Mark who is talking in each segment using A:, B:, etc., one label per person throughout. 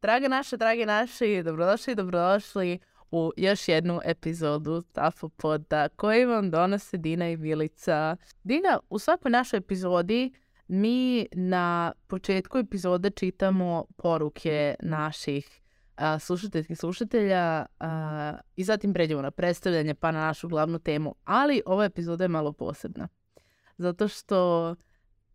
A: dragi naši, dobrodošli u još jednu epizodu Tafopoda koju vam donose Dina i Milica. Dina, u svakoj našoj epizodi mi na početku epizode čitamo poruke naših slušatelja i zatim pređemo na predstavljanje pa na našu glavnu temu. Ali ova epizoda je malo posebna. Zato što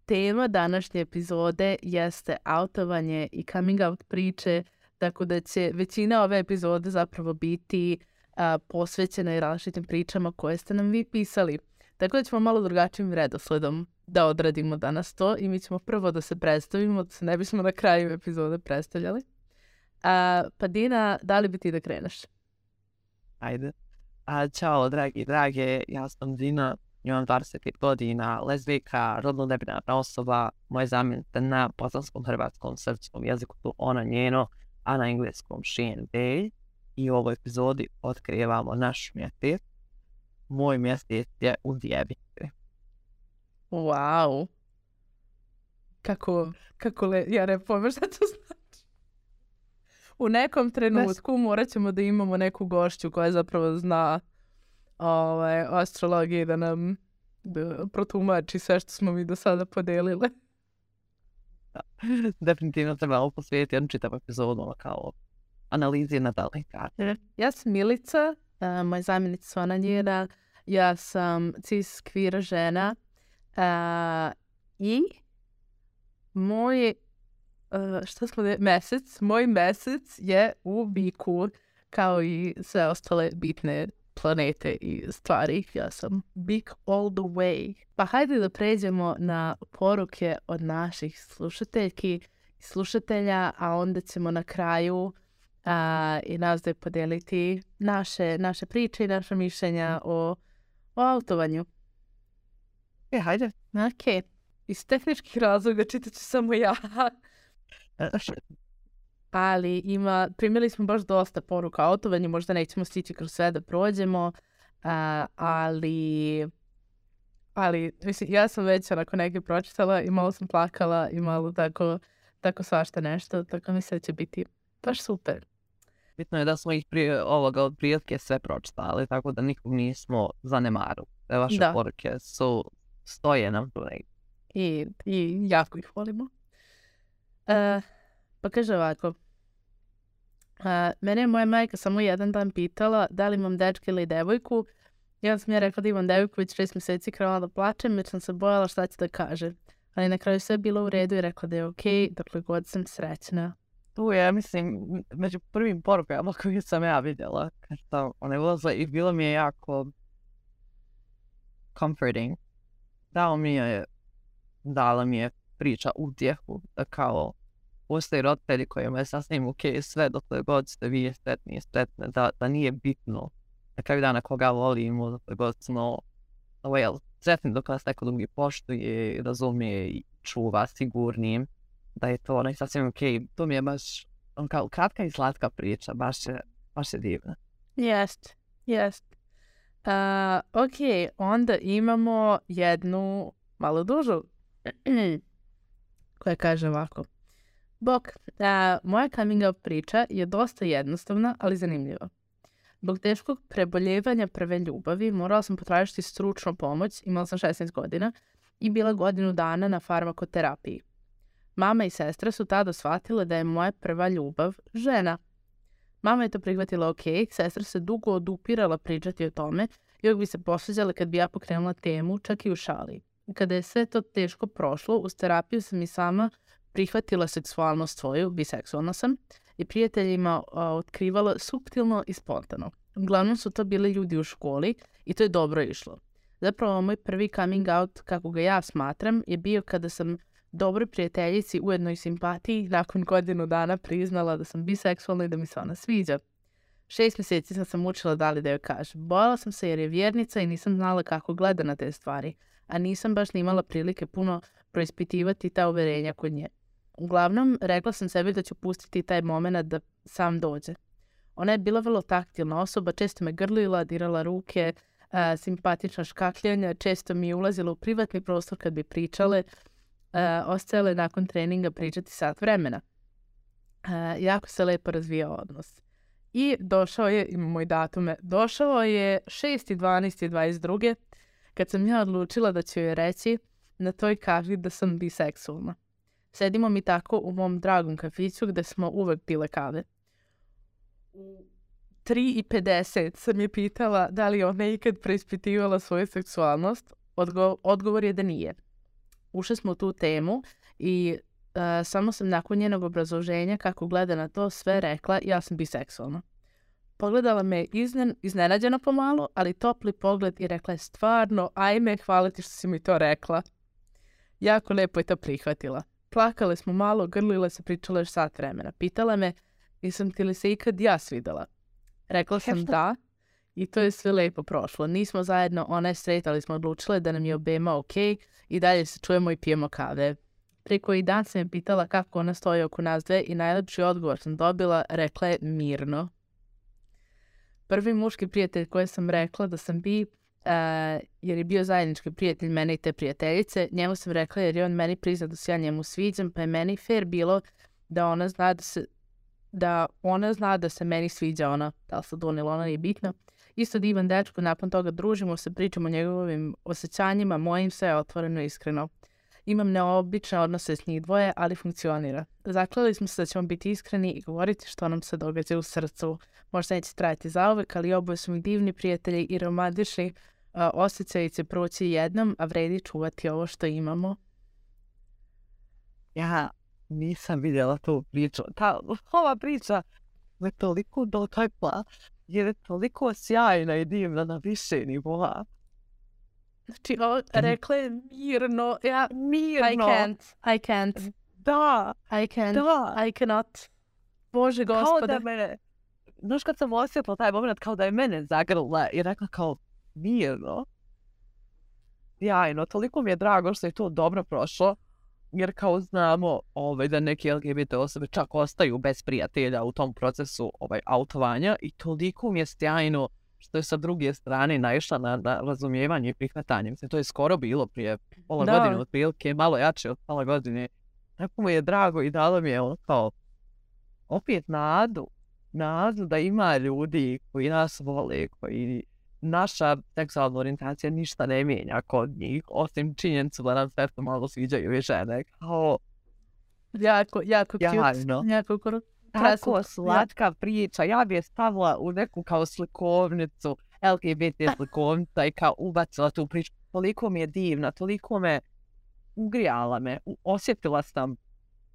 A: tema današnje epizode jeste autovanje i coming out priče, tako da će većina ove epizode zapravo biti posvećena i različitim pričama koje ste nam vi pisali. Tako da ćemo malo drugačijim redosledom da odradimo danas to i mi ćemo prvo da se predstavimo, da se ne bismo na kraju epizode predstavljali. Pa Dina, da li bi ti da kreneš?
B: Ajde. Ćao, drage, ja sam Dina, imam 25 godina, lezbijka, rodno nebinarna osoba, moja zamjenica na bosanskom, hrvatskom, srpskom jeziku su ona, njeno, a na engleskom she and they. I u ovoj epizodi otkrivamo naš mjesec. Moj mjesec je u djevici.
A: Wow. Ja ne pojma šta to znači. U nekom trenutku morat ćemo da imamo neku gošću koja zapravo zna astrologiju da nam protumači sve što smo mi do sada podelile.
B: Da. Definitivno trebamo posvetiti jednu čitavu epizodu kao analizi natalnih karta.
A: Ja sam Milica, moja zamjenica su ona njena, ja sam cis queer žena i moj moj mesec je u biku kao i sve ostale bitne planete i stvari. Ja sam big all the way. Pa hajde da pređemo na poruke od naših slušateljki i slušatelja, a onda ćemo na kraju i nas da podeliti naše priče i naše mišljenja o autovanju.
B: Hajde.
A: Ok. Iz tehničkih razloga čitat ću samo ja. Ali primili smo baš dosta poruka o autovanju, možda nećemo stići kroz sve da prođemo, ali mislim, ja sam već onako neke pročitala i malo sam plakala i malo tako svašta nešto, tako mislim da će biti baš super.
B: Bitno je da smo ih prije ovoga od prilike sve pročitali, tako da nikog nismo zanemarili. Vaše poruke stoje nam tu negdje.
A: I jako ih volimo. Pa kaže ovako. Mene je moja majka samo jedan dan pitala da li imam dečka ili devojku. Ja sam rekla da imam devojku, već 6 mjeseci krenula da plačem, već sam se bojala šta će da kaže. Ali na kraju sve je bilo u redu i rekla da je okej, dokle god sam srećna.
B: Tu je, mislim, među prvim porukama koje sam ja vidjela, kad sam one ulazile i bilo mi je jako comforting. Dala mi je priča utjehu, da kao postoji roditelji kojima je sasvim okej sve dokle god ste vi sretni i sretne, da nije bitno na kraju dana koga volimo, dokle god smo sretni dok nas neko drugi poštuje, razumije i čuva sigurnim, da je to sasvim okej. To mi je baš kao kratka i slatka priča, baš je divna.
A: Jest. Ok, onda imamo jednu malo dužu koja kaže ovako. Bok, moja coming out priča je dosta jednostavna, ali zanimljiva. Zbog teškog preboljevanja prve ljubavi morala sam potražiti stručnu pomoć, imala sam 16 godina i bila godinu dana na farmakoterapiji. Mama i sestra su tada shvatile da je moja prva ljubav žena. Mama je to prihvatila ok, sestra se dugo odupirala pričati o tome i uvijek bi se posveđala kad bi ja pokrenula temu, čak i u šali. Kada je sve to teško prošlo, uz terapiju sam i sama prihvatila seksualnost svoju, biseksualna sam, i prijateljima otkrivala suptilno i spontano. Uglavnom su to bili ljudi u školi i to je dobro išlo. Zapravo moj prvi coming out, kako ga ja smatram, je bio kada sam dobroj prijateljici, ujedno i simpatiji, nakon godinu dana priznala da sam biseksualna i da mi se ona sviđa. 6 mjeseci sam učila da li da joj kažem. Bojala sam se jer je vjernica i nisam znala kako gleda na te stvari, a nisam baš ni imala prilike puno proispitivati ta uverenja kod nje. Uglavnom, rekla sam sebi da ću pustiti taj moment da sam dođe. Ona je bila vrlo taktilna osoba, često me grlila, dirala ruke, simpatična škakljanja, često mi je ulazila u privatni prostor kad bi pričale, ostajale nakon treninga pričati sat vremena. jako se lepo razvijao odnos. I došao je, imamo i datume, došao je 6.12.22. kad sam ja odlučila da ću joj reći na toj kavi da sam biseksualna. Sedimo mi tako u mom dragom kafiću gde smo uvek pile kave. U 3.50 sam je pitala da li ona ikad preispitivala svoju seksualnost. Odgovor je da nije. Ušli smo u tu temu i samo sam nakon njenog obrazloženja kako gleda na to sve rekla ja sam biseksualna. Pogledala me iznenađeno pomalo, ali topli pogled i rekla je stvarno, ajme, hvala ti što si mi to rekla. Jako lepo je to prihvatila. Plakale smo malo, grlile se, pričale još sat vremena. Pitala me, jesam ti li se ikad ja svidela? Rekla sam da i to je sve lepo prošlo. Nismo zajedno, ona je straight, ali smo odlučile da nam je obema ok i dalje se čujemo i pijemo kave. Prije koji dan sam je pitala kako ona stoji oko nas dve i najlepši odgovor sam dobila, rekla je mirno. Prvi muški prijatelj koje sam rekla da sam bi, jer je bio zajednički prijatelj mene i te prijateljice, njemu sam rekla jer je on meni priznao da se ja njemu sviđam, pa je meni fair bilo da ona zna da se meni sviđa ona, da li se donijela, ona nije bitno. Isto divan dečko, nakon toga družimo se, pričamo o njegovim osjećanjima, mojim sve je otvoreno i iskreno. Imam neobične odnose s njih dvoje, ali funkcionira. Zaklali smo se da ćemo biti iskreni i govoriti što nam se događa u srcu. Možda neće trajati zauvek, ali oboje su mi divni prijatelji i romantični osjećaji će proći jednom, a vredi čuvati ovo što imamo.
B: Ja nisam vidjela tu priču. Ova priča me toliko dotakla, jer je toliko sjajna i divna na više nivoa.
A: Znači, rekla je mirno. Ja,
B: mirno.
A: I can't.
B: Da.
A: I cannot. Bože gospode.
B: Kao da mene, znaš kad sam osjetila taj moment, kao da je mene zagrla i rekla kao mirno. Jajno, toliko mi je drago što je to dobro prošlo, jer kao znamo da neke LGBT osobe čak ostaju bez prijatelja u tom procesu autovanja i toliko mi je sjajno što je sa druge strane naišla na razumijevanje i prihvatanje. Mislim, to je skoro bilo prije pola godine, otprilike, malo jače od pola godine. Tako mi je drago i dalo mi je kao opet nadu da ima ljudi koji nas vole, koji naša seksualna orijentacija ništa ne mijenja kod njih, osim činjenicu da nam sve to malo sviđaju i žene. Kao
A: jako cute. Jako
B: tako slatka priča. Ja bi je stavila u neku kao slikovnicu, LGBT slikovnica i kao ubacila tu priču. Toliko mi je divna, toliko me ugrijala me. Osjetila sam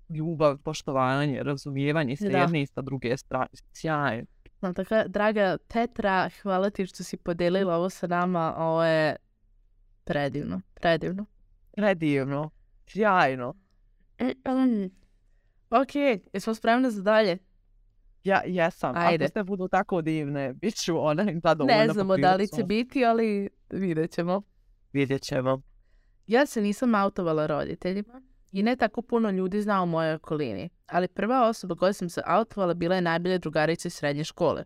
B: ljubav, poštovanje, razumijevanje s jedne i sa druge strane. Sjajno.
A: Tako, draga Petra, hvala ti što si podelila ovo sa nama. Ovo je predivno.
B: Predivno. Sjajno.
A: Ok, jesmo spremne za dalje?
B: Ja jesam.
A: Ajde.
B: Ako ste budu tako divne, bit ću zadovoljna.
A: Ne znamo da li će biti, ali vidjet ćemo. Ja se nisam autovala roditeljima i ne tako puno ljudi zna u mojoj okolini, ali prva osoba koja sam se autovala bila je najbolja drugarica iz srednje škole.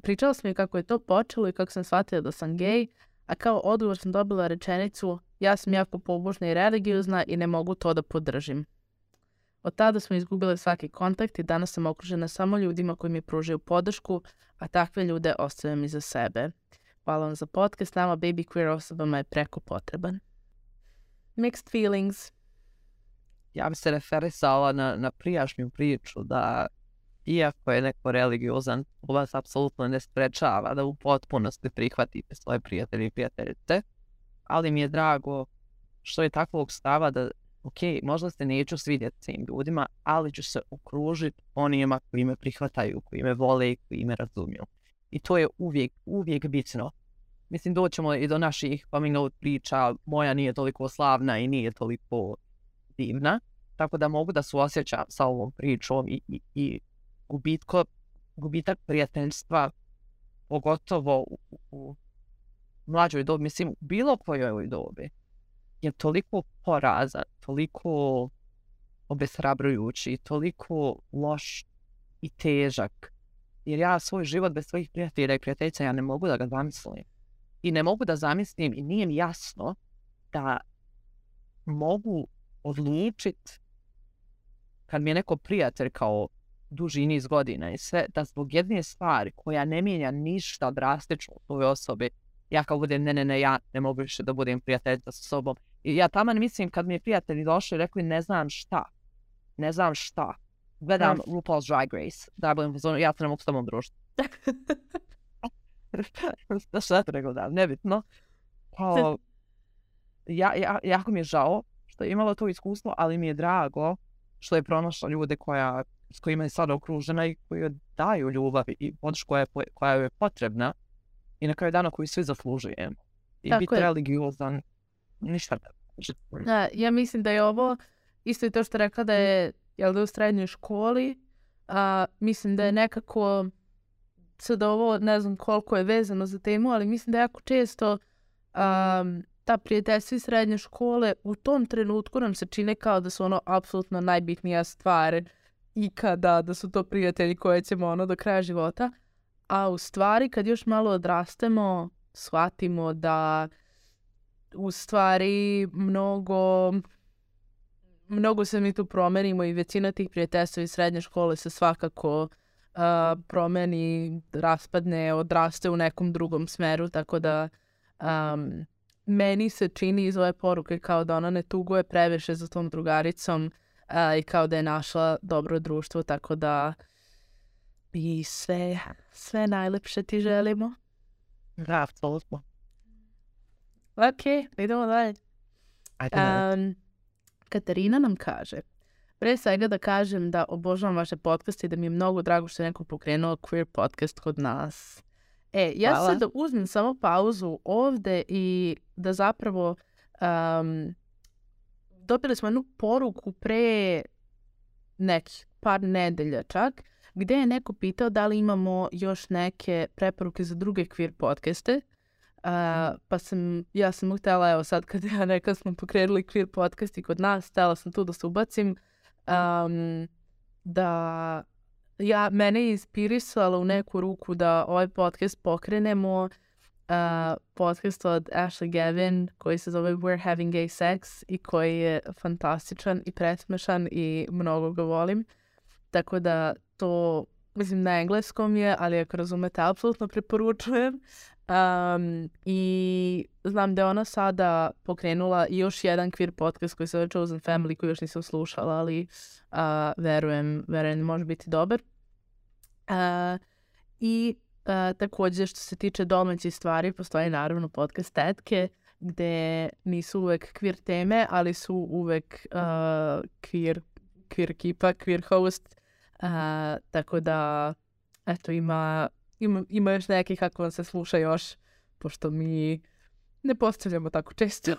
A: Pričala sam mi kako je to počelo i kako sam shvatila da sam gej, a kao odgovor sam dobila rečenicu ja sam jako pobožna i religiozna i ne mogu to da podržim. Od tada smo izgubile svaki kontakt i danas sam okružena samo ljudima koji mi pružaju podršku, a takve ljude ostavljam iza sebe. Hvala vam za podcast, nama baby queer osobama je preko potreban. Mixed feelings.
B: Ja bi se referisala na prijašnju priču da iako je neko religiozan, u vas apsolutno ne sprečava da u potpunosti prihvatite svoje prijatelje i prijateljice, ali mi je drago što je takvog stava da ok, možda se neću svidjeti svim ljudima, ali ću se okružiti onima koji me prihvataju, koji me vole i koji me razumiju. I to je uvijek bitno. Mislim, doćemo i do naših coming out priča, moja nije toliko slavna i nije toliko divna, tako da mogu da suosjećam sa ovom pričom i gubitak prijateljstva, pogotovo u mlađoj dobi, mislim, u bilo kojoj dobi, je toliko porazan, toliko obeshrabrujući, toliko loš i težak. Jer ja svoj život bez svojih prijatelja i prijateljica ja ne mogu da ga zamislim. I ne mogu da zamislim i nije mi jasno da mogu odlučiti kad mi je neko prijatelj kao duži niz godina i sve, da zbog jedne stvari koja ne mijenja ništa drastično u toj osobi, ja kao budem, ne, ja ne mogu više da budem prijateljica sa sobom. I ja taman mislim kad mi je prijatelji došli i rekli ne znam šta. Gledam RuPaul's Drag Race, da budem pozorno, ja se ne mogu s tobom družiti. Šta to nego da, nebitno. Kao, jako mi je žao što je imala to iskustvo, ali mi je drago što je pronašla ljude s kojima je sada okružena i koji joj daju ljubav i podršku koja je potrebna i na kraju dana koju svi zaslužujemo. I
A: Tako
B: biti
A: je.
B: religiozan, ništa ne.
A: Ja mislim da je ovo, isto i to što rekla da je, u srednjoj školi, mislim da je nekako, sad ovo ne znam koliko je vezano za temu, ali mislim da jako često ta prijateljstva iz srednje škole u tom trenutku nam se čine kao da su ono apsolutno najbitnija stvar ikada, da su to prijatelji koje ćemo do kraja života. A u stvari kad još malo odrastemo, shvatimo da u stvari mnogo se mi tu promenimo i većina tih prijateljstva iz srednje škole se svakako promeni, raspadne, odraste u nekom drugom smeru, tako da meni se čini iz ove poruke kao da ona ne tuguje previše za tom drugaricom i kao da je našla dobro društvo, tako da i sve najlepše ti želimo.
B: Da, apsolutno.
A: Ok, idemo dalje.
B: Ajde.
A: Katarina nam kaže, pre svega da kažem da obožavam vaše podcaste i da mi je mnogo drago što je neko pokrenuo queer podcast kod nas. Ja ću sad da uzmem samo pauzu ovde i da zapravo dobili smo jednu poruku pre nekih par nedelja čak, gde je neko pitao da li imamo još neke preporuke za druge queer podcaste. Pa ja sam mu htjela, evo sad kad ja rekla smo pokrenuli queer podcast i kod nas, htjela sam tu da se ubacim, da mene je inspirisalo u neku ruku da ovaj podcast pokrenemo, podcast od Ashley Gavin koji se zove We're Having Gay Sex i koji je fantastičan i presmešan i mnogo ga volim. Tako da to, mislim, na engleskom je, ali ako razumete, apsolutno preporučujem. I znam da je ona sada pokrenula još jedan queer podcast koji se zove Chosen Family koji još nisam slušala, ali verujem može biti dobar. I također što se tiče domaćih stvari, postoji naravno podcast Tetke gde nisu uvek queer teme, ali su uvek queer ekipa, queer host. Tako da, eto, ima još nekih ako vam se sluša još, pošto mi ne postavljamo tako često.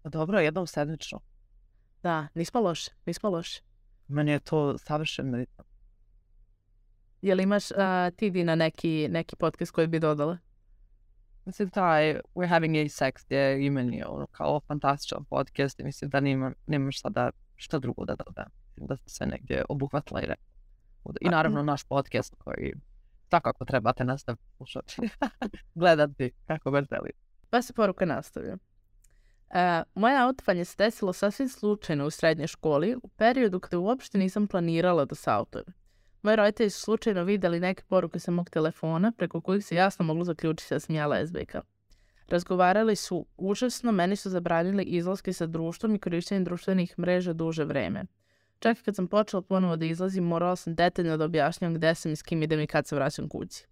B: Dobro, jednom sedmično.
A: Da, nismo loše.
B: Meni je to savršeno ritam.
A: Jel imaš ti Dina neki podcast koji bi dodala?
B: Mislim, taj We're Having Gay Sex je i meni kao fantastičan podcast i mislim da nemam šta drugo da dodam. Da se sve negdje obuhvatila i rekla. I naravno naš podcast koji svakako trebate nastaviti slušati. Gledati kako god želite.
A: Pa se poruka nastavlja. Moje autovanje se desilo sasvim slučajno u srednjoj školi u periodu kada uopšte nisam planirala da se autujem. Moji roditelji su slučajno vidjeli neke poruke sa mog telefona preko kojih se jasno moglo zaključiti da sam ja lezbijka. Razgovarali su užasno, meni su zabranili izlaske sa društvom i korištenje društvenih mreža duže vreme. Čak kad sam počela ponovo da izlazim, morala sam detaljno da objašnjam gde sam i s kim idem i kad se vraćam kući.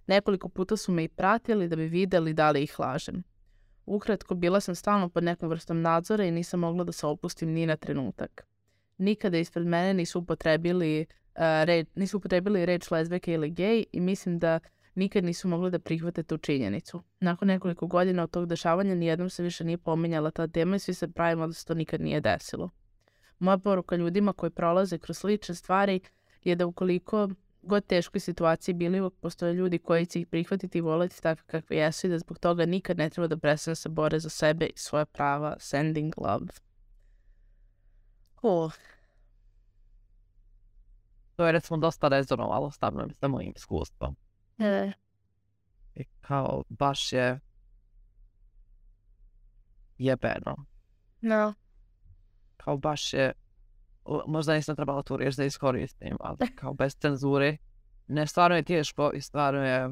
A: Nekoliko puta su me i pratili da bi vidjeli da li ih lažem. Ukratko, bila sam stalno pod nekom vrstom nadzora i nisam mogla da se opustim ni na trenutak. Nikada ispred mene nisu upotrebili reč lezbijka ili gej i mislim da nikad nisu mogli da prihvate tu činjenicu. Nakon nekoliko godina od tog dešavanja nijednom se više nije pominjala ta tema i svi se pravimo da se to nikad nije desilo. Moja poruka ljudima koji prolaze kroz slične stvari je da ukoliko god teškoj situaciji bili, uvijek postoje ljudi koji će ih prihvatiti i voliti takve kakve jesu i da zbog toga nikad ne treba da prestane se bore za sebe i svoja prava. Sending love.
B: To je recimo dosta rezonovalo stavno sa mojim iskustvom. I kao baš je jebeno.
A: No.
B: Kao baš je možda nisam trebala tu riječ da iskoristim, ali kao bez cenzure. Ne, stvarno je teško i stvarno je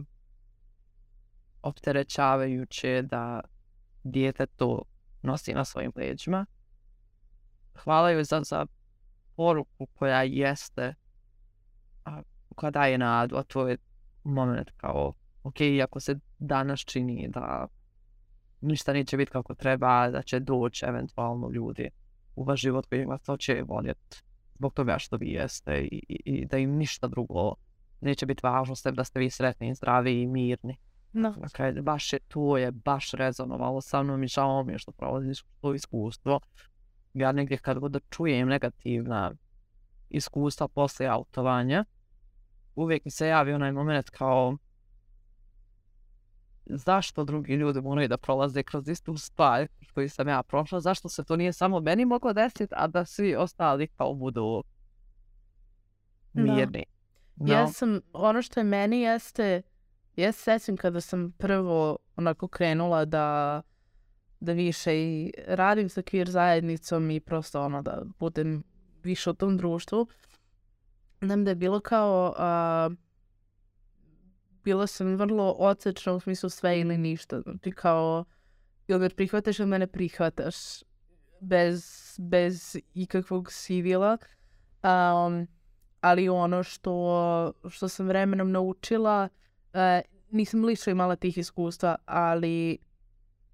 B: opterećavajuće da dijete to nosi na svojim leđima. Hvala joj za poruku koja jeste, koja daje nadu, a to je moment kao, ok, ako se danas čini da ništa neće biti kako treba, da će doći eventualno ljudi u vaš život koji vas hoće voljeti zbog toga što vi jeste i da im ništa drugo neće biti važno sem da ste vi sretni, zdravi i mirni.
A: No.
B: Dakle, to je baš rezonovalo sa mnom i žao mi je što prolaziš to iskustvo. Ja negdje kad god čujem negativna iskustva poslije autovanja, uvijek mi se javi onaj moment kao zašto drugi ljudi moraju da prolaze kroz istu stvar koju sam ja prošla, zašto se to nije samo meni moglo desiti, a da svi ostali kao budu mirni.
A: No. Ja sam, ono što je meni jeste, ja se sjećam kada sam prvo onako krenula da više i radim sa queer zajednicom i prosto ono da budem više u tom društvu. Znam da je bilo kao, bila sam vrlo odsečna u smislu sve ili ništa. Znači kao, ili me prihvataš ili me ne prihvataš bez ikakvog sivila. Ali ono što sam vremenom naučila, nisam lično imala tih iskustva, ali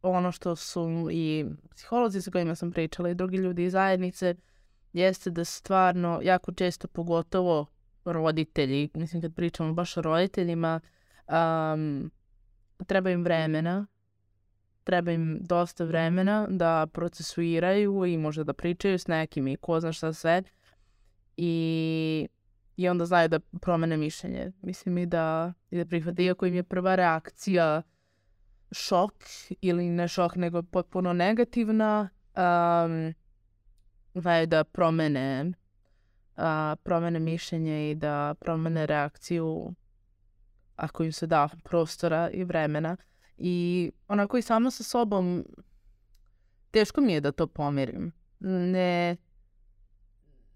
A: ono što su i psiholozi sa kojima sam pričala i drugi ljudi iz zajednice, jeste da stvarno jako često, pogotovo roditelji, mislim kad pričamo baš o roditeljima, treba im vremena, treba im dosta vremena da procesuiraju i možda da pričaju s nekim i ko zna šta sve i onda znaju da promene mišljenje. Mislim i da prihvate, iako im je prva reakcija šok ili ne šok nego potpuno negativna, znaju da promene mišljenje i da promene reakciju ako im se da prostora i vremena. I onako i sama sa sobom teško mi je da to pomirim.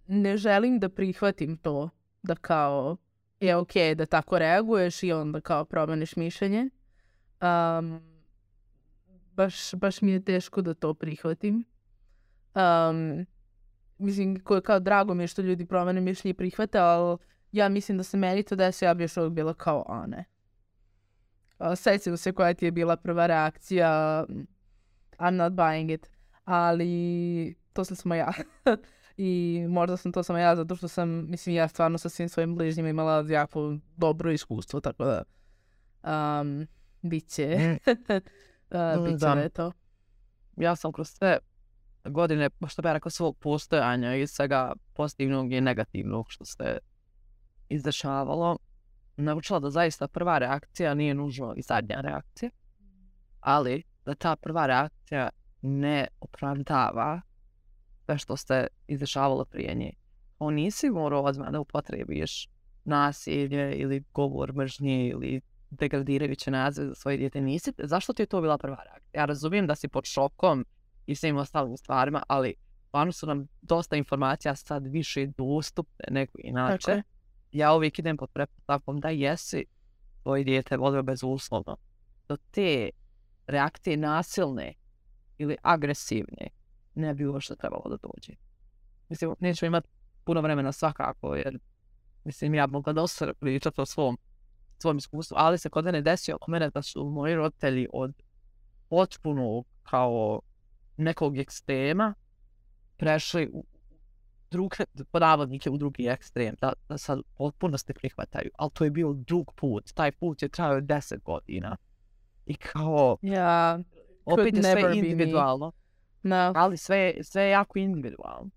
A: Ne želim da prihvatim to da kao je okej da tako reaguješ i onda kao promeniš mišljenje. Baš mi je teško da to prihvatim. Mislim, kao drago mi je što ljudi promene mišljenje i prihvate, ali ja mislim da se meni to desi, ja bi još uvijek bila kao, a ne. Sjećam se koja ti je bila prva reakcija, I'm not buying it, ali to sam samo ja. I možda sam to samo ja, zato što sam, mislim, ja stvarno sa svim svojim bližnjima imala jako dobro iskustvo, tako da bit će to.
B: Ja sam kroz sve godine, što bi ja rekao, svog postojanja i svega pozitivnog i negativnog što se izdešavalo, naučila da zaista prva reakcija nije nužno i zadnja reakcija, ali da ta prva reakcija ne opravdava sve što se izdešavalo prije nje. Nisi morao odmah da upotrebiš nasilje ili govor mržnje ili degradirajuće nazive za svoje dijete. Nisi. Zašto ti je to bila prva reakcija? Ja razumijem da si pod šokom i svim ostalim stvarima, ali stvarno su nam dosta informacija sad više dostupne nego inače. Okay. Ja uvijek idem pod pretpostavkom da jesi tvoje dijete volio bezuslovno. Do te reakcije nasilne ili agresivne ne bi uopšte trebalo da dođe. Mislim, nećemo imati puno vremena svakako, jer mislim, ja mogla dosta pričati o svom iskustvu, ali se kod mene desio oko mene da su moji roditelji od potpunog kao nekog ekstrema prešli u u drugi ekstrem, da sad potpuno se prihvataju, ali to je bio dug put, taj put je trajao 10 godina. I kao, opet je sve individualno, no. Ali sve je jako individualno.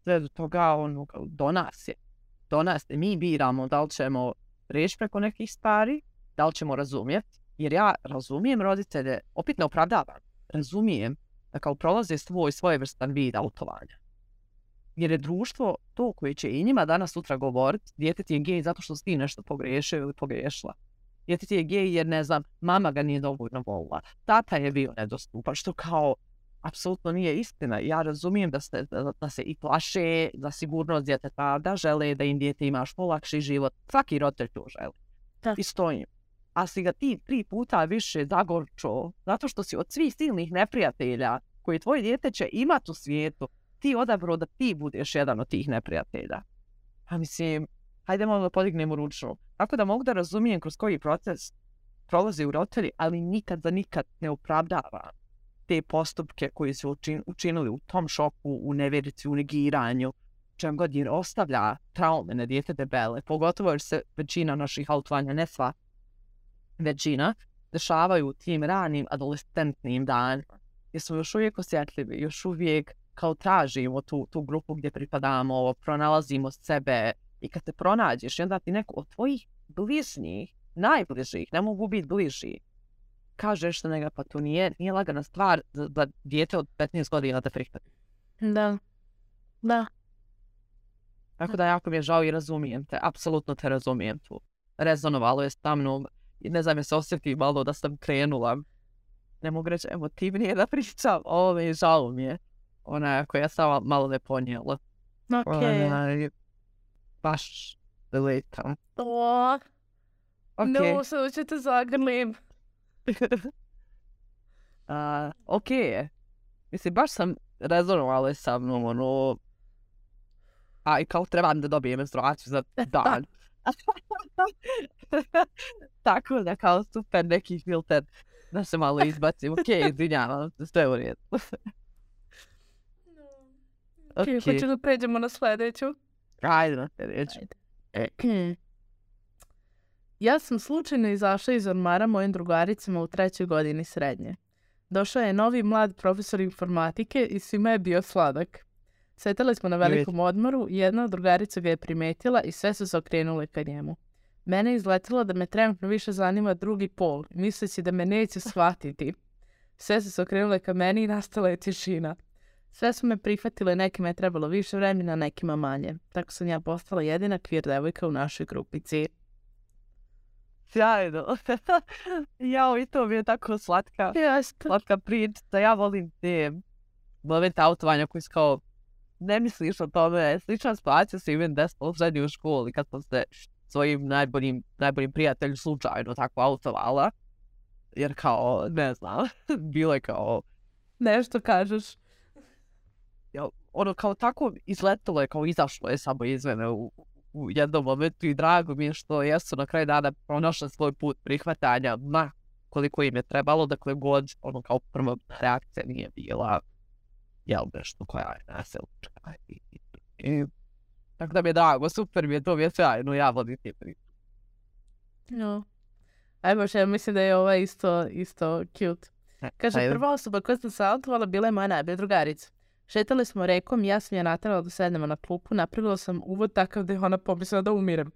B: Sve do toga do nas je. Mi biramo da li ćemo reći preko nekih stvari, da li ćemo razumjeti, jer ja razumijem roditelje, opet ne opravdavam, razumijem da kao prolaze svojevrstan vid autovanja. Jer je društvo to koje će i njima danas sutra govoriti, dijete ti je gej zato što si ti nešto pogriješio ili pogriješila. Dijete ti je gej jer, ne znam, mama ga nije dovoljno volila, tata je bio nedostupan, što kao, apsolutno nije istina. Ja razumijem da se i plaše za sigurnost djeteta, da žele da im dijete ima što lakši život. Svaki roditelj to želi. I stojim. A si ga ti 3 puta više zagorčo, zato što si od svih silnih neprijatelja koji tvoje dijete će imati u svijetu, ti odabrao da ti budeš jedan od tih neprijatelja. Pa mislim, hajde malo da podignemo ručnu. Tako da mogu da razumijem kroz koji proces prolaze u roditelji, ali nikad za nikad ne opravdava te postupke koji su učinili u tom šoku, u nevjerici, u negiranju, čem god jer ostavlja traume na dijete debele, pogotovo jer se većina naših autovanja, ne sva većina, dešavaju u tim ranim adolescentnim danima. Jer smo još uvijek osjetljivi, još uvijek kao tražimo tu grupu gdje pripadamo, pronalazimo sebe i kad te pronađeš i onda ti neko od tvojih bližnjih, najbližih, ne mogu biti bliži, kažeš da njega pa to nije lagana stvar da dijete od 15 godina te prihvati.
A: Da.
B: Tako da jako mi je žao i razumijem te, apsolutno te razumijem tu. Rezonovalo je sa mnom, ne znam, je se osjeti malo da sam krenula. Ne mogu reći emotivnije da pričam, žao mi je. Onako, ja sam malo ne ponijela. Baš deletam.
A: No, sad ću te zagrlim.
B: Ok. Mislim, baš sam rezonovala sa mnom, i kao trebam da dobijem menstruaciju za dan. Tako da kao super neki filter da se malo izbacim. Ok, izvinjavam se, sve u redu.
A: Ok, hoću da pređemo na sljedeću.
B: Ajde na sljedeću.
A: Ja sam slučajno izašla iz ormara mojim drugaricama u 3. godini srednje. Došao je novi mlad profesor informatike i svima je bio sladak. Sjetali smo na velikom odmoru i jedna od drugarica ga je primetila i sve su se okrenule ka njemu. Mene je izletilo da me trenutno više zanima drugi pol, misleći da me neće shvatiti. Sve su se okrenule ka meni i nastala je tišina. Sve su me prihvatile, nekima je trebalo više vremena, nekima manje. Tako sam ja postala jedina queer devojka u našoj grupici.
B: Sjajno. Jao, i to mi je tako slatka priča. Ja volim te momente autovanja koji su kao, ne misliš o tome. Slična situacija se imam desila u srednjoj u školi kad sam se svojim najboljim prijatelju slučajno tako autovala. Jer kao, ne znam, bilo je kao...
A: Nešto kažeš.
B: Ono kao tako izletilo je, kao izašlo je samo iz mene u jednom momentu i drago mi je što jesu na kraju dana pronašli svoj put prihvatanja, koliko im je trebalo, dakle god, ono kao prva reakcija nije bila, nešto koja je nasilnička. Tako da mi je drago, super mi je, to mi je sjajno, ja vodim ti priču.
A: No. Ajmo ja mislim da je ova isto cute. Kaže, prva osoba koja sam saltovala bila je moja najbolja drugarica. Šetali smo rekom i ja sam je naterala da sednemo na klupu, napravila sam uvod takav da je ona pomislila da umirem.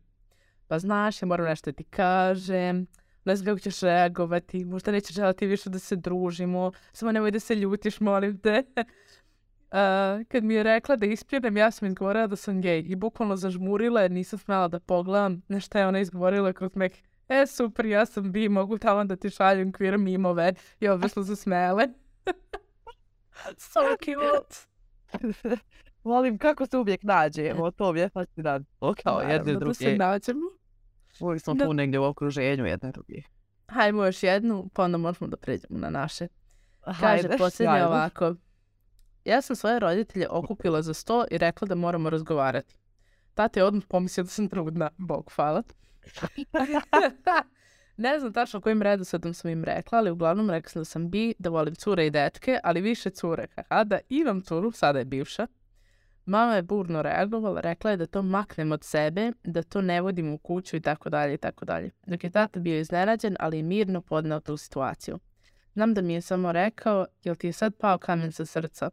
A: Pa znaš, ja moram nešto da ti kažem, ne znam kako ćeš reagovati, možda nećeš želati više da se družimo, samo nemoj da se ljutiš, molim te. Kad mi je rekla da ispirem, ja sam izgovorila da sam gej i bukvalno zažmurila jer nisam smjela da pogledam na šta je ona izgovorila kroz mek. Super, ja sam bi, mogu tamo da ti šaljem queer mimove i obje smo se smele. So cute.
B: Volim kako se uvijek nađemo, to mi je fascinantno, kao jedne druge.
A: Da se nađemo.
B: Uvijek smo tu negdje u okruženju jedne druge.
A: Hajmo još jednu, pa onda možemo da pređemo na naše. Kaže, posljednje ovako. Ja sam svoje roditelje okupila za sto i rekla da moramo razgovarati. Tata je odmah pomislio da sam trudna, Bog hvala. Ne znam tačno kojim redosledom sam im rekla, ali uglavnom rekla sam da sam bi, da volim cure i dečke, ali više cure. Da imam curu, sada je bivša. Mama je burno reagovala, rekla je da to maknem od sebe, da to ne vodim u kuću i tako dalje i tako dalje. Dok je tata bio iznenađen, ali je mirno podneo tu situaciju. Znam da mi je samo rekao, jel ti je sad pao kamen sa srca?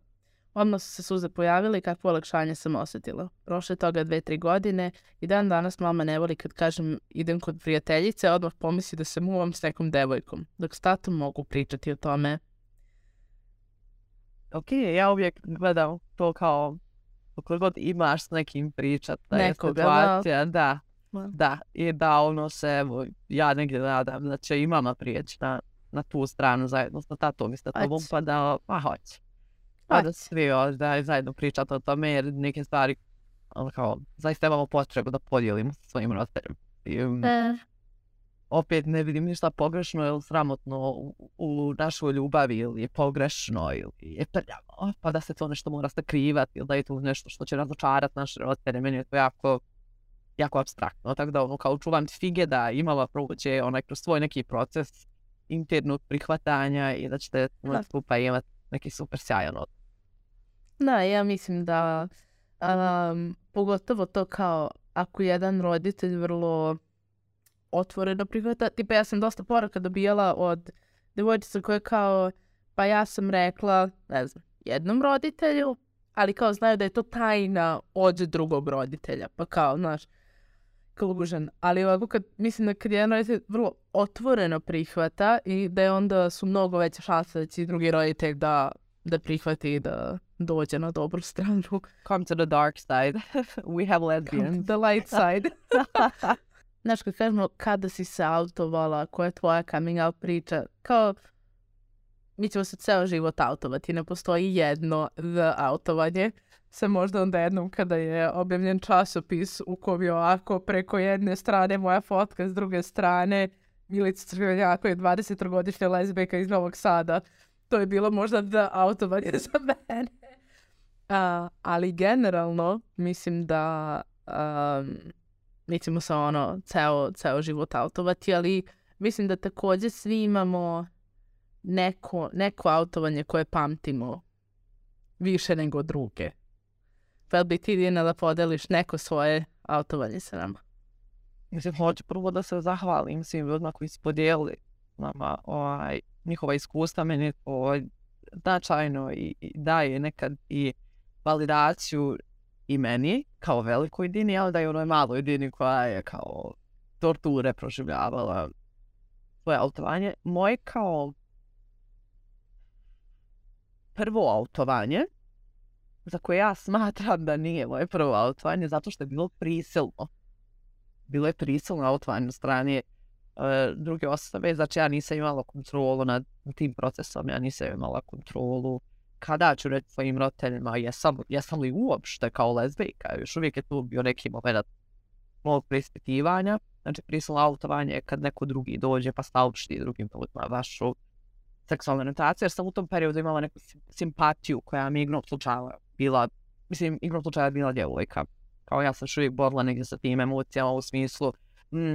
A: Odmah su se suze pojavile i kakvo olakšanje sam osjetila. Prošle toga 2-3 godine i dan danas mama ne voli kad kažem idem kod prijateljice, odmah pomisli da se muvam s nekom devojkom, dok s tatom mogu pričati o tome.
B: Ok, ja uvijek gledam to kao koliko god imaš s nekim pričat, da je situacija, da, i da ono se, evo, ja negdje nadam da će i mama prijeći na tu stranu zajedno sa tatom i sa tobom, pa da, hoće. Pa da svi da zajedno pričate o tome, jer neke stvari kao, zaista imamo potrebu da podijelimo sa svojim roditeljima. Opet ne vidim ništa pogrešno ili sramotno u našoj ljubavi ili je pogrešno ili je prljavo, pa da se to nešto mora sakrivati ili da je to nešto što će razočarati naše roditelje. Meni je to jako apstraktno, tako da kao čuvam ti fige da imala prođe kroz svoj neki proces internog prihvatanja i da ćete skupa imati neki super sjajan odnos.
A: Da, ja mislim da pogotovo to kao ako jedan roditelj vrlo otvoreno prihvata. Tipa ja sam dosta poruka dobijala od devojčica koje kao, pa ja sam rekla, ne znam, jednom roditelju, ali kao znaju da je to tajna od drugog roditelja. Pa kao, znaš, klužan. Ali ovako mislim da kad jedan roditelj vrlo otvoreno prihvata i da je onda su mnogo veće šanse da će drugi roditelj da prihvati i da dođe na dobru stranu.
B: Come to the dark side. We have lesbians.
A: Come to the light side. Znaš, kad kažemo kada si se autovala, koja je tvoja coming out priča, kao mi ćemo se ceo život autovati, ne postoji jedno autovanje. Se možda onda jednom kada je objavljen časopis u kojem je ovako preko jedne strane moja fotka, s druge strane Milica Crvenjako je 20-godišnja lezbijka iz Novog Sada. To je bilo možda autovanje za mene. Ali generalno mislim da mi ćemo se ceo život autovati, ali mislim da također svi imamo neko autovanje koje pamtimo više nego druge. Pa bi ti, Dina, da podeliš neko svoje autovanje sa nama?
B: Mislim, hoću prvo da se zahvalim svim ljudima koji su podijelili nama njihova iskustva. Meni je to značajno i daje nekad i validaciju i meni kao velikoj Dini, ali da je onoj maloj Dini koja je kao torture proživljavala svoje autovanje. Moje kao prvo autovanje, za koje ja smatram da nije moje prvo autovanje, zato što je bilo prisilno. Bilo je prisilno autovanje od strane druge osobe, znači ja nisam imala kontrolu nad tim procesom, ja nisam imala kontrolu kada ću reći svojim roditeljima jesam li uopšte kao lezbijka. Još uvijek je tu bio neki moment mog preispitivanja. Znači prisilno autovanje je kad neko drugi dođe pa saopšti drugim ljudima vašu seksualnu orijentaciju, jer sam u tom periodu imala neku simpatiju koja mi igrom slučaja bila djevojka. Kao ja sam još uvijek borila negdje sa tim emocijama u smislu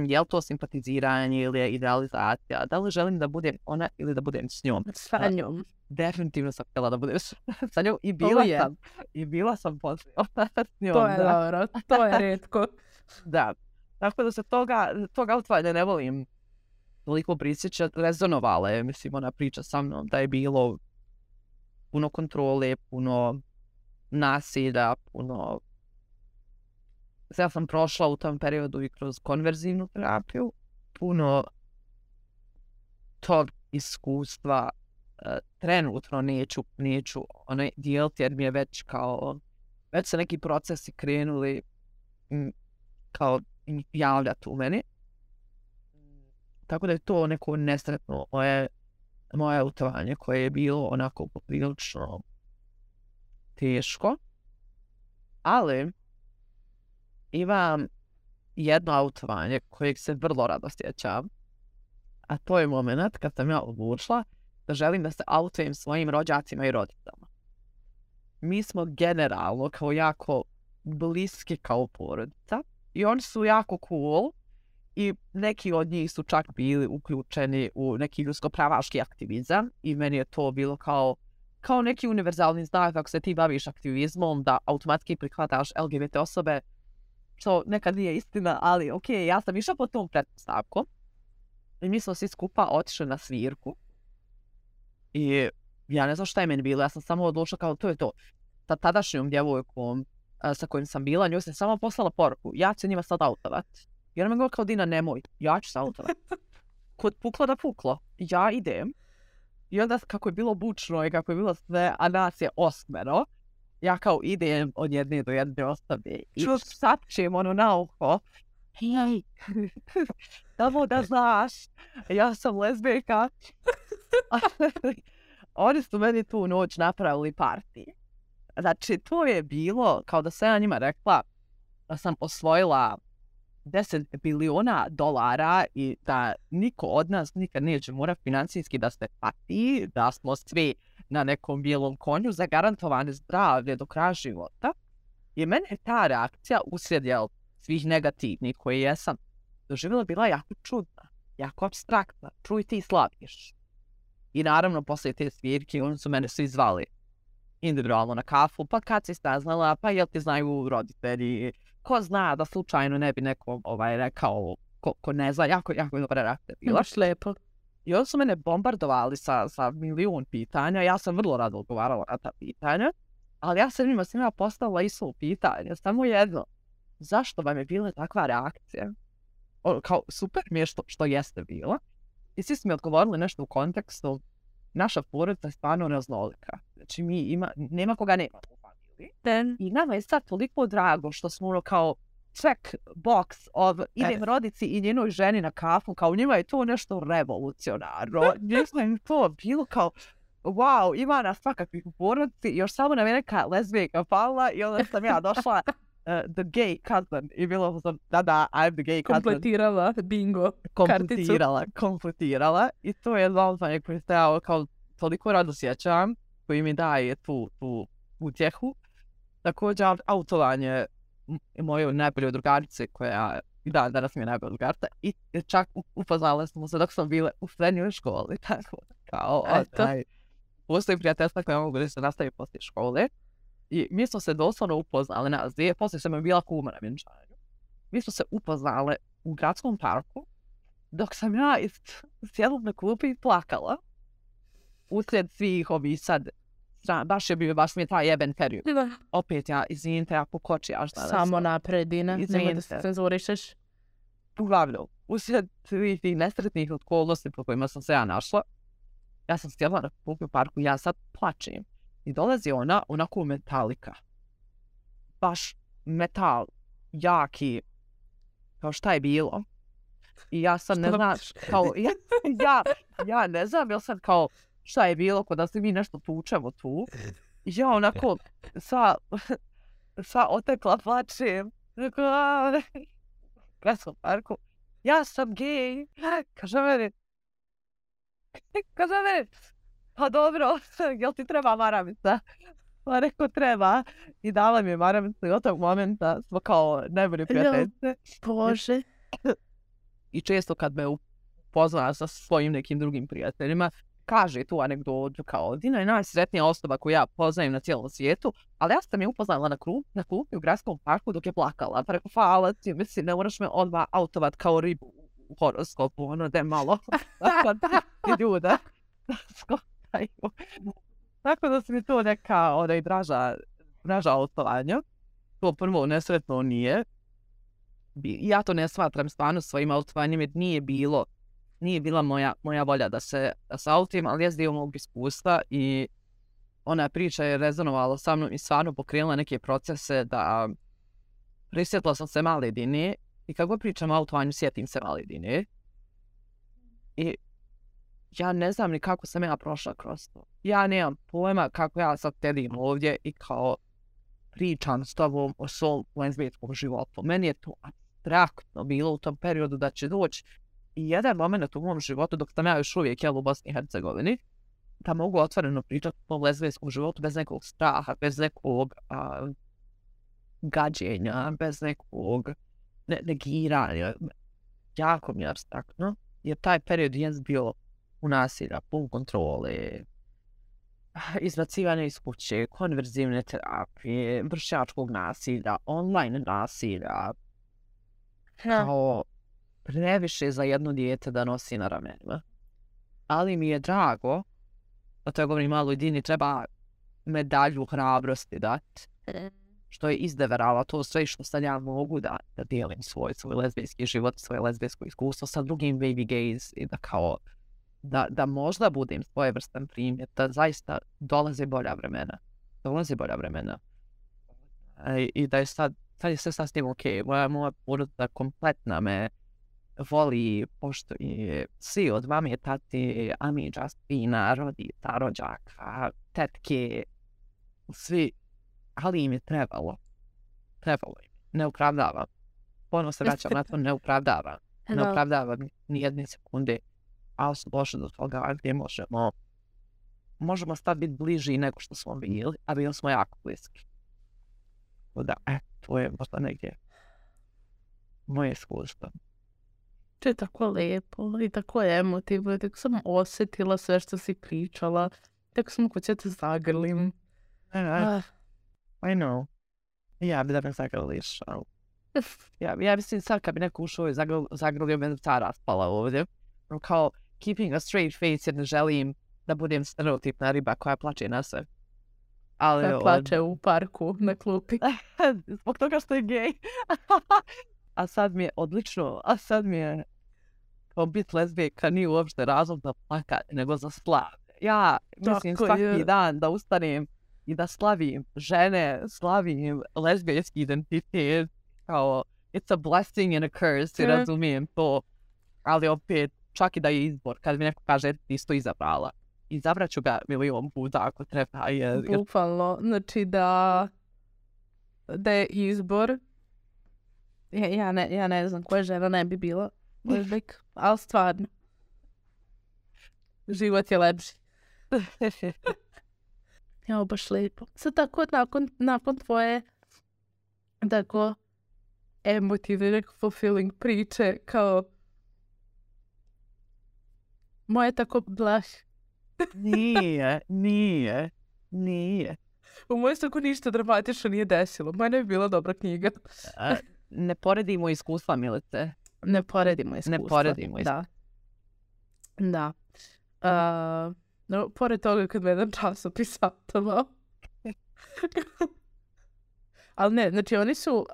B: je li to simpatiziranje ili je idealizacija, da li želim da budem ona ili da budem s njom.
A: Sa njom.
B: Definitivno sam htjela da budem sa njom i bila sam poslije s njom.
A: To je dobro, to je retko.
B: Da, tako da se toga autovanja ne volim toliko prisjećati. Rezonovala je, mislim, ona priča sa mnom da je bilo puno kontrole, puno nasilja, puno... Ja sam prošla u tom periodu i kroz konverzivnu terapiju, puno tog iskustva trenutno neću dijeliti jer mi je već se neki procesi krenuli kao javljati u meni. Tako da je to neko nesretno moje autovanje koje je bilo onako poprilično teško. Ali imam jedno autovanje kojeg se vrlo rado sjećam, a to je moment kad sam ja odlučila da želim da se autujem svojim rođacima i roditeljima. Mi smo generalno kao jako bliski kao porodica i oni su jako cool i neki od njih su čak bili uključeni u neki ljudsko-pravaški aktivizam i meni je to bilo kao neki univerzalni znak ako se ti baviš aktivizmom da automatski prihvataš LGBT osobe, što nekad nije istina, ali ok, ja sam išla po tom pretpostavkom i mi smo svi skupa otišli na svirku i ja ne znam šta je meni bilo, ja sam samo odlučila kao to je to. Sa tadašnjom djevojkom sa kojim sam bila, njoj sam samo poslala poruku, ja ću njima sad autovat. I ona me govorila kao Dina, nemoj, ja ću se autovat. Kod puklo da puklo, ja idem. I onda kako je bilo bučno i kako je bilo sve, a nas je 8, ja kao idem od jedne do jedne osobe i sačem na uho. Hej, samo da znaš, ja sam lezbijka. oni su meni tu noć napravili party. Znači, to je bilo kao da sam ja njima rekla da sam osvojila $10 biliona i da niko od nas nikad neće morati financijski da se pati, da smo svi na nekom bijelom konju zagarantovane zdravlje do kraja života. I mene je ta reakcija uslijed svih negativnih koje jesam doživjela bila jako čudna, jako apstraktna. Čuj, ti slaviš. I naravno, poslije te svirke, oni su mene svi zvali individualno na kafu, pa kad si saznala, pa jel ti znaju roditelji, ko zna da slučajno ne bi neko rekao, ko ne zna, jako dobra reakcija bila.
A: Baš lepo.
B: I oni su mene bombardovali sa milion pitanja, ja sam vrlo rado odgovarala na ta pitanja, ali ja sam njima svima postavila isto pitanje, samo jedno, zašto vam je bila takva reakcija? Kao, super mi je što jeste bila. I svi su mi odgovorili nešto u kontekstu, naša porodica je stvarno raznolika. Znači, nema koga nema u familiji. I nama je sad toliko drago što smo kao check box idem rodici i njenoj ženi na kafu, kao njima je to nešto revolucionarno. Njima je to bilo kao, wow, ima nas svakakvih u porodici, još samo nam je neka lezbijka pala i onda sam ja došla the gay cousin i bilo sam, da, I'm the gay cousin.
A: Kompletirala bingo karticu.
B: Kompletirala i to je zauzdanje koje se ja kao toliko rado sjećam, koji mi daje tu utjehu. Također autovanje moje najbolje drugarice koja danas mi je najbolja drugarica i čak upoznale smo se dok smo bile u srednjoj školi. Tako kao, postoji prijateljstva koja mogu da se nastavi poslije škole. I mi smo se doslovno upoznali nas dvije, poslije sam je bila kuma na vjenčanju. Mi smo se upoznale u gradskom parku, dok sam ja sjedla na klupi i plakala. Uslijed svih ovih sad, baš mi je taj jeben period. Opet izvinite, ja pokočijaš danas.
A: Samo napred, Dina, nemoj da se cenzurišeš.
B: Uglavnom, uslijed svih tih nesretnih okolnosti po kojima sam se ja našla, ja sam sjedla na klupi u parku i ja sad plačem. I dolazi ona, onako metalika. Baš metal, jaki, kao šta je bilo. I ja sad ne znam, kao, ja ne znam, jel sad kao, šta je bilo, kod da se mi nešto tučemo tu. I ja onako, sva otekla plačem. Gradskom parku. Ja sam gej. Kaže meni, pa dobro, jel ti treba maramica? Pa rekao treba. I dala mi je maramica i od tog momenta smo kao najbolje prijateljice.
A: Bože.
B: I često kad me upoznala sa svojim nekim drugim prijateljima, kaže tu anegdotu kao Dina je najsretnija osoba koju ja poznajem na cijelom svijetu, ali ja sam je upoznala na klupi u gradskom parku dok je plakala. Pa rekao, hvala ti, mislim, ne moraš me odmah autovat kao ribu u horoskopu, ono da je malo. Tako ljuda. Tako da se mi to neka draža autovanja. To prvo nesretno nije. Ja to ne smatram stvarno svojim autovanjem jer nije bila moja volja da se autim, ali je dio mog iskustva i ona priča je rezonovala sa mnom i stvarno pokrenula neke procese da prisjetila sam se male Dine i kako pričam o autovanju sjetim se male Dine. I ja ne znam ni kako sam ja prošla kroz to. Ja nemam pojma kako ja sad tedim ovdje i kao pričam s tobom o svom lezbijskom životu. Meni je to abstraktno bilo u tom periodu da će doći i jedan moment u mom životu dok sam ja još uvijek u Bosni i Hercegovini da mogu otvoreno pričati o lezbijskom životu bez nekog straha, bez nekog gađenja, bez nekog negiranja. Jako mi je abstraktno jer taj period je bio u nasilja, pun kontrole, izbacivanje iz kuće, konverzivne terapije, vršnjačkog nasilja, online nasilja. Kao previše za jedno dijete da nosi na ramenima. Ali mi je drago, da to je govorim maloj Dini, treba medalju hrabrosti dati, što je izdeverala to sve što sad ja mogu da dijelim svoj lezbijski život, svoje lezbijsko iskustvo sa drugim baby gays i da kao da možda budem svojevrstan primjer, da zaista dolaze bolja vremena. I da je sad je sve sasvim okej. Moja porodica kompletna me voli, poštuje svi od mame, tate, amiđa, spina, rodica, rođaka, tetke, svi, ali im je trebalo. Trebalo im. Ne opravdavam. Ponovno se vraćam na to, ne opravdavam. Ne opravdavam ni jedne sekunde, ali su došli do toga gdje možemo sad biti bliži nego što smo bili, a bili smo jako bliski. Da, to je možda negdje moje iskustvo.
A: To je tako lijepo i tako emotivno. Tako sam osjetila sve što si pričala. Tako sam kod će te zagrlim.
B: I know. Ja bi da me zagrliš. Ja mislim sad kad bi neko ušao i zagrlio, me ta raspala ovdje. Kao keeping a straight face jer ne želim da budem stereotipna riba koja plače na sve.
A: Koja plače u parku na klupi.
B: Zbog toga što je gej. A sad mi je odlično. A sad mi je kao biti lezbijka nije uopšte razlog da plakati, nego za slav. Ja mislim svaki dan da ustanem i da slavim žene, slavim lezbijski identitet. Kao, it's a blessing and a curse, i razumijem to. Ali opet, čak i da je izbor, kad mi neko kaže ti isto izabrala. Izabrat ću ga milion puta ako treba.
A: Bukvalno, znači da je izbor. Ja ne znam koja žena ne bi bila lezbijka, ali stvarno. Život je lepši. Ja, baš lijepo. Sad tako nakon tvoje tako emotivne, fulfilling priče, kao moje tako blah.
B: Nije.
A: U mojoj tako ništa dramatično nije desilo. Moja ne bi bila dobra knjiga.
B: Ne poredimo iskustva, Milice.
A: Ne poredimo iskustva. Da. No, pored toga kad me jedan časopis satovao. Ali ne, znači oni su,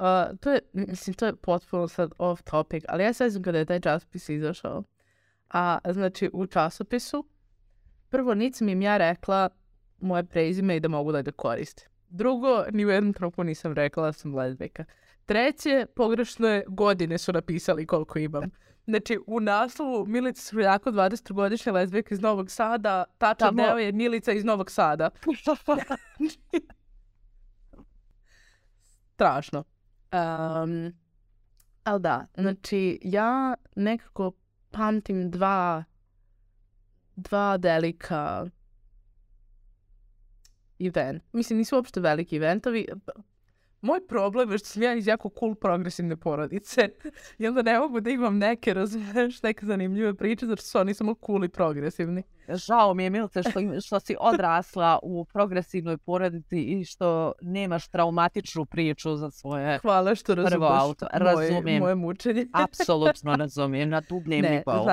A: to je potpuno sad off topic, ali ja sad znam kada je taj časopis izašao. Znači u časopisu, prvo nisam im ja rekla moje prezime i da mogu da ga koriste. Drugo, ni u jednom trenutku nisam rekla da sam lezbijka. Treće, pogrešne godine su napisali koliko imam. Znači, u naslovu Milica Svrljako, 20-godišnja lezbijka iz Novog Sada, tačan deo je Milica iz Novog Sada. Strašno. Ali da, znači, ja nekako pamtim dva velika event. Mislim, nisu uopšte veliki eventovi. Moj problem je što sam ja iz jako cool progresivne porodice. I onda ne mogu da imam neke zanimljive priče, zato što su oni samo cool i progresivni.
B: Žao mi je, Milice, što si odrasla u progresivnoj porodici i što nemaš traumatičnu priču za svoje
A: Hvala što razumeš moje mučenje.
B: Apsolutno razumijem, na dubnjem nivou.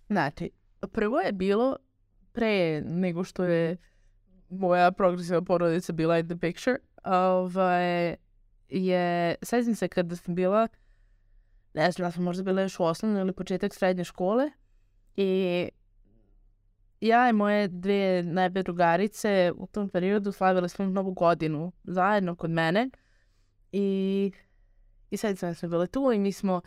A: Znači, prvo je bilo pre nego što je moja progresivna porodica bila in the picture. Sjećam se kada sam bila, ne znam, ja sam možda bila još u osnovnoj ili početak srednje škole i ja i moje dvije najbolje drugarice u tom periodu slavile smo Novu godinu zajedno kod mene i sjećam se da smo bile tu i mi smo,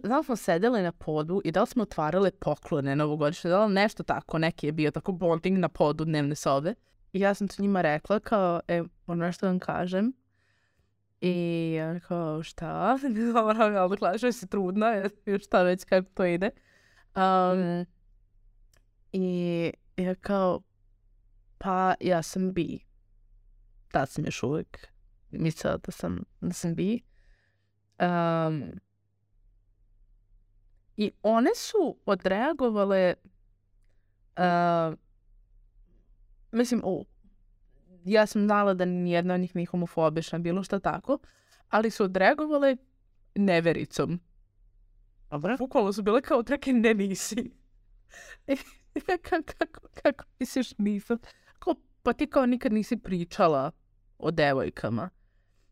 A: da li smo sedeli na podu i da li smo otvarale poklone novogodišnje, da li nešto tako, neki je bio tako bonding na podu dnevne sobe. I ja sam to njima rekla kao, ono nešto vam kažem. I ja kao, šta? Ali klašao si trudna, šta već kako to ide. I ja kao, pa ja sam bi. Tad sam još uvijek mislila da sam bi. I one su odreagovale, mislim, ja sam znala da nijedna od njih nije homofobična, bilo šta tako, ali su odreagovale nevericom. Bukvalno su bile kao treke, ne nisi. Kako misliš nisam? Pa ti kao nikad nisi pričala o devojkama.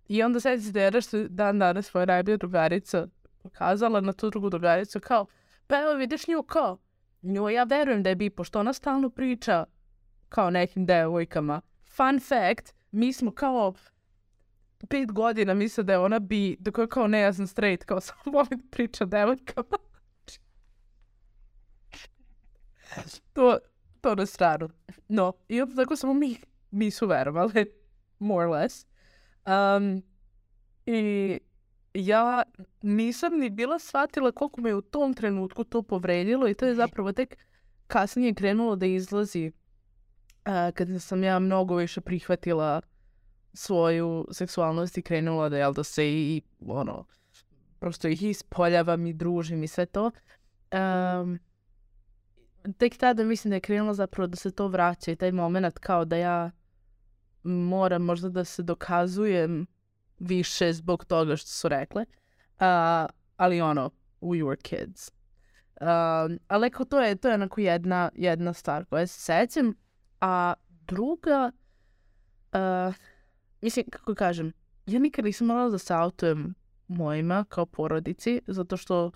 A: I onda sad se dera što dan danas svoja najbolja drugarica pokazala na tu drugu drugaricu kao, pa evo vidiš nju kao, njoj ja verujem da je bi, pošto ona stalno priča kao nekim devojkama. Fun fact, mi smo kao 5 godina misle da je ona bi, dok je kao ne, ja sam straight, kao samo volim da priča devojkama. To na stranu. No, i onda tako samo mi su verovali, more or less. I ja nisam ni bila shvatila koliko me u tom trenutku to povredilo i to je zapravo tek kasnije krenulo da izlazi kada sam ja mnogo više prihvatila svoju seksualnost i krenula da, jel, da se i prosto ih ispoljavam i družim i sve to. Tek tada mislim da je krenulo zapravo da se to vraća i taj moment kao da ja moram možda da se dokazujem više zbog toga što su rekle. Ali we were kids. Ali kao to je onako jedna stvar koja se sećam. A druga, mislim, kako kažem, ja nikad nisam morala da se autujem mojima kao porodici, zato što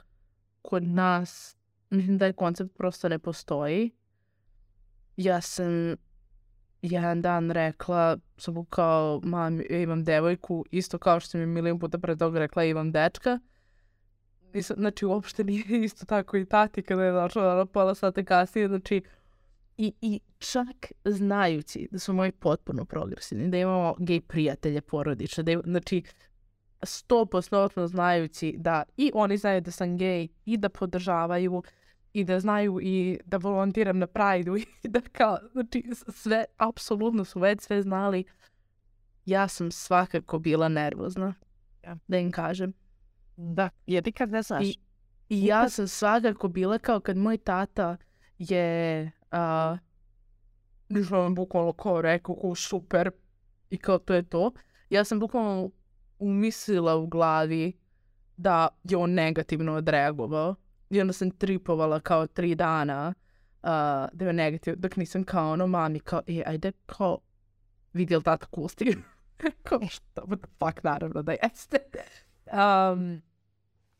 A: kod nas, mislim da je koncept prosto ne postoji. Ja sam jedan dan rekla, samo kao, mam, ja imam devojku, isto kao što mi milion puta pre toga rekla, imam dečka. Znači, uopšte nije isto tako i tati kada je došla pola sata kasnije, znači, I čak znajući da su moji potpuno progresivni, da imamo gej prijatelje porodične, znači 100% znajući da i oni znaju da sam gej i da podržavaju i da znaju i da volontiram na Pride-u i da kao, znači sve, apsolutno su već sve znali. Ja sam svakako bila nervozna, da im kažem.
B: Da, jer nikad ne znaš.
A: I ja sam svakako bila kao kad moj tata je nisam bukvalno kao rekao kao super i kao to je to. Ja sam bukvalno umislila u glavi da je on negativno odreagovao i onda sam tripovala kao 3 dana da je negativno, dok nisam kao mami kao ajde kao vidjel tata kusti kao šta, what the fuck, naravno da jeste.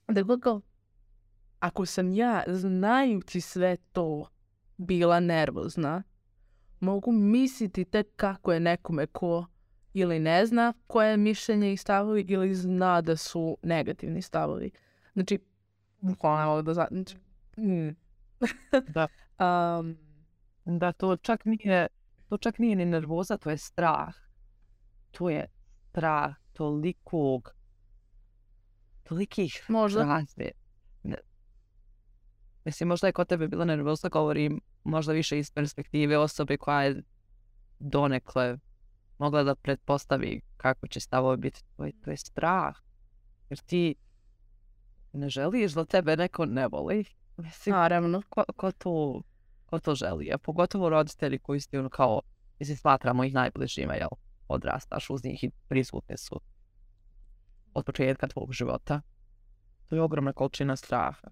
A: Dakle kao ako sam ja znajući sve to bila nervozna, mogu misliti tek kako je nekome ko ili ne zna koje je mišljenje i stavovi ili zna da su negativni stavovi. Znači, bukvalno ne mogu da znam. Znači,
B: Da. Da, to čak nije ni nervoza, to je strah. To je strah tolikih razve. Mislim, možda je kod tebe bila nervoza, govorim možda više iz perspektive osobe koja je donekle mogla da pretpostavi kako će stavovi biti. To je strah. Jer ti ne želiš da tebe neko ne voli. Mislim,
A: naravno.
B: Ko to želi? A pogotovo roditelji koji ste kao, mislim, smatramo ih najbližima, jel? Odrastaš uz njih i prisutni su od početka tvog života. To je ogromna količina straha.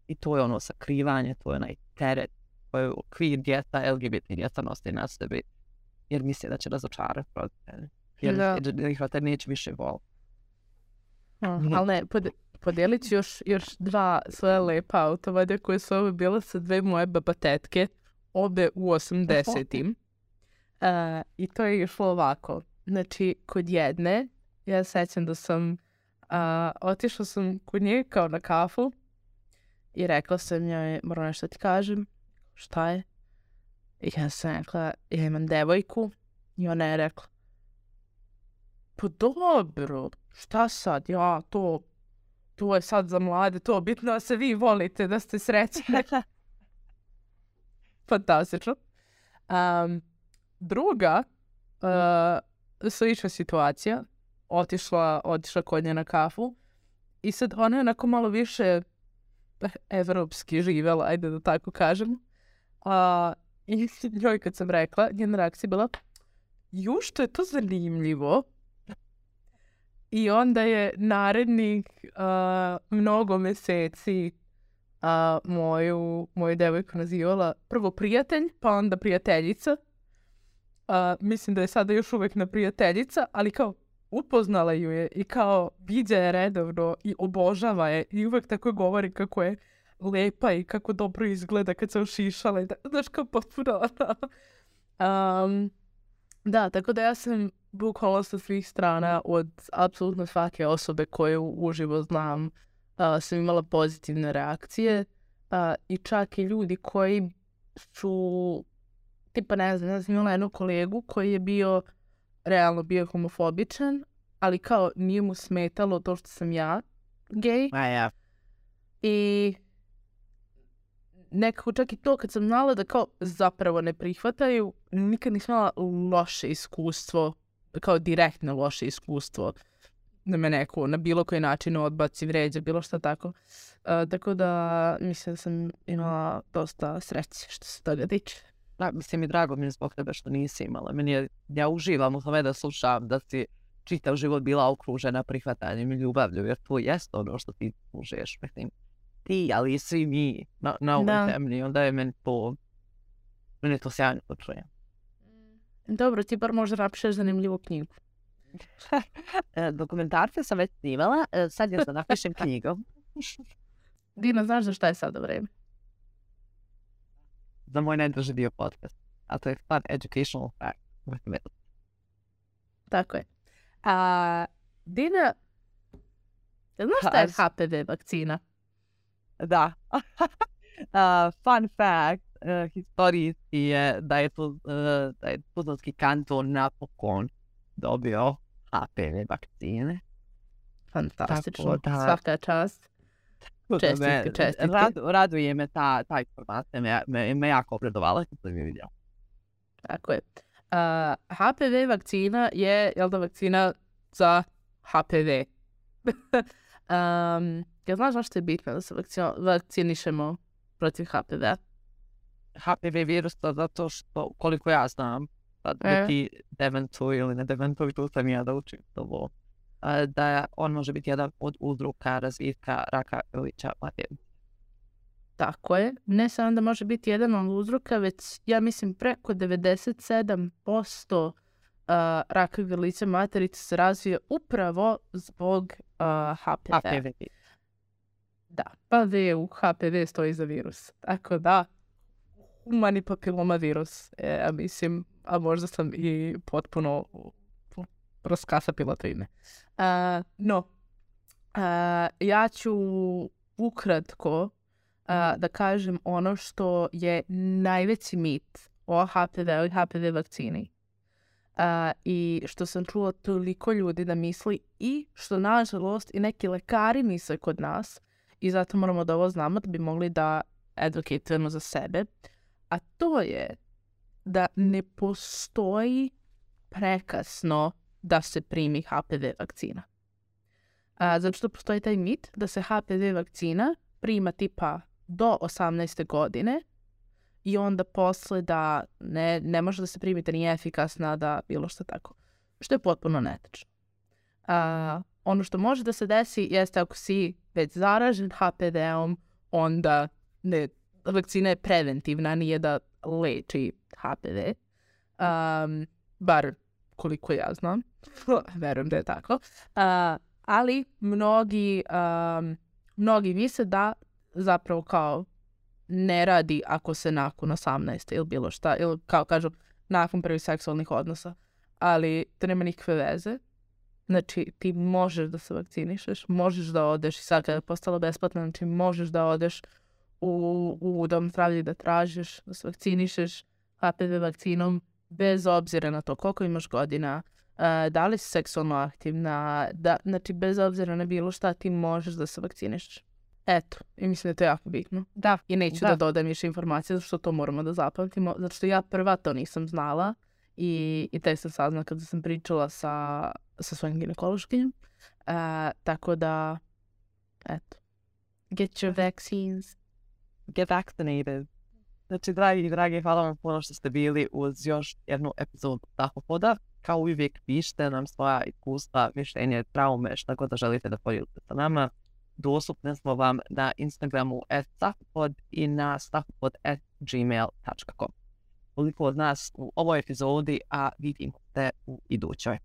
B: I to je sakrivanje, to je onaj teret koji okvir djeca, LGBT djeca nosi na sebi. Jer misle da će razočarati roditelje. Jer ih roditelj neće više voliti.
A: Ali ne, podelit ću još 2 svoje lepa autovadja koje su ove bile sa 2 moje babatetke, obe u 80-im. I to je išlo ovako. Znači, kod jedne, ja sećam da sam, otišla sam kod nje kao na kafu i rekla sam joj, moram nešto ti kažem, šta je? I ja sam rekla, ja imam devojku i ona je rekla, pa dobro, šta sad, ja, to je sad za mlade, to bitno da se vi volite, da ste srećni. Fantastično. Druga, slična situacija, otišla kod nje na kafu i sad ona je onako malo više evropski živjela, ajde da tako kažem. I njoj kad sam rekla, njena reakcija je bila, što je to zanimljivo. I onda je narednih mnogo meseci moju devojku nazivala prvo prijatelj, pa onda prijateljica. Mislim da je sada još uvijek na prijateljica, ali kao upoznala ju je i kao viđa je redovno i obožava je i uvijek tako govori kako je lepa i kako dobro izgleda kad se ošišala. Znaš, kao potpuno. Da, tako da ja sam bukvalno sa svih strana od apsolutno svake osobe koju uživo znam sam imala pozitivne reakcije i čak i ljudi koji su, tipa ne znam, ja sam imala jednog kolegu koji je realno bio homofobičan, ali kao nije mu smetalo to što sam ja gej.
B: Ja.
A: I nekako čak i to kad sam znala da kao zapravo ne prihvataju, nikad nisam imala loše iskustvo, kao direktno loše iskustvo da me neko na bilo koji način odbaci, vređa, bilo šta tako. Tako da mislim da sam imala dosta sreće što se toga tiče.
B: Da, mislim i drago mi je zbog tebe što nisi imala. Ja uživam u tome da slušam da si čitav život bila okružena prihvatanjem i ljubavlju, jer to jest ono što ti užiješ. Mislim, ti, ali i svi mi na ovoj zemlji, onda je meni to sjajno to čujem.
A: Dobro, ti bar možda napišeš zanimljivu knjigu.
B: Dokumentarce sam već snimala, sad ja napišem knjigu.
A: Dina, znaš za šta je sada vreme?
B: Za moj najdraži dio podcast, a to je Fun Educational Fact with Milk.
A: Tako je. Dina, znaš šta je HPV vakcina?
B: Da. Fun fact, historijski je da je Tuzlanski kanton napokon dobio HPV vakcine.
A: Fantastično, svaka čast. Čestitke.
B: Raduje me ta informacija, me jako obradovala kad sam je vidio.
A: Tako je. HPV vakcina je, vakcina za HPV. Ja znaš zašto je bitno da se vakcinišemo protiv HPV-a?
B: HPV virusa zato što, koliko ja znam, da ti dementuju ili ne dementuju, tu sam ja da učim to, da on može biti jedan od uzroka razvitka raka grlića maternice.
A: Tako je. Ne samo da može biti jedan od uzroka, već ja mislim preko 97% raka grlića materice se razvije upravo zbog HPV. Da, pa u HPV stoji za virus. Tako da, humani papiloma virus. Mislim, a možda sam i potpuno raskasapila to ime. Ja ću ukratko da kažem ono što je najveći mit o HPV-u i HPV vakcini. I što sam čula toliko ljudi da misli i što nažalost i neki lekari misle kod nas i zato moramo da ovo znamo da bi mogli da advocatujemo za sebe. A to je da ne postoji prekasno da se primi HPV vakcina. Zato što postoji taj mit da se HPV vakcina prima tipa do 18. godine i onda posle da ne može da se primite, nije efikasna, da bilo što tako. Što je potpuno netačno. Ono što može da se desi jeste ako si već zaražen HPV-om, onda vakcina je preventivna, nije da leči HPV. Bar koliko ja znam. Verujem da je tako. Ali mnogi misle da zapravo kao ne radi ako se nakon 18. ili bilo šta, ili kao kažu nakon prvih seksualnih odnosa. Ali to nema nikakve veze. Znači ti možeš da se vakcinišeš, možeš da odeš i sad kada je postalo besplatno, znači možeš da odeš u dom zdravlja da tražiš, da se vakcinišeš HPV vakcinom bez obzira na to koliko imaš godina, da li si seksualno aktivna, znači bez obzira na bilo šta ti možeš da se vakcinišeš. Eto, i mislim da je to jako bitno. Da. I neću da dodam više informacije, zato što to moramo da zapamtimo, zato što ja prva to nisam znala i tek sam saznala kada sam pričala sa svojim ginekološkinjom. Tako da, eto. Get your vaccines.
B: Get vaccinated. Znači, dragi, hvala vam puno što ste bili uz još jednu epizodu Tahopoda. Kao uvijek, pišite nam svoja iskustva, mišljenje, traume, šta god da želite da podijelite sa nama. Dostupni smo vam na Instagramu @tahopod i na tahopod@gmail.com. Toliko od nas u ovoj epizodi, a vidimo se u idućoj.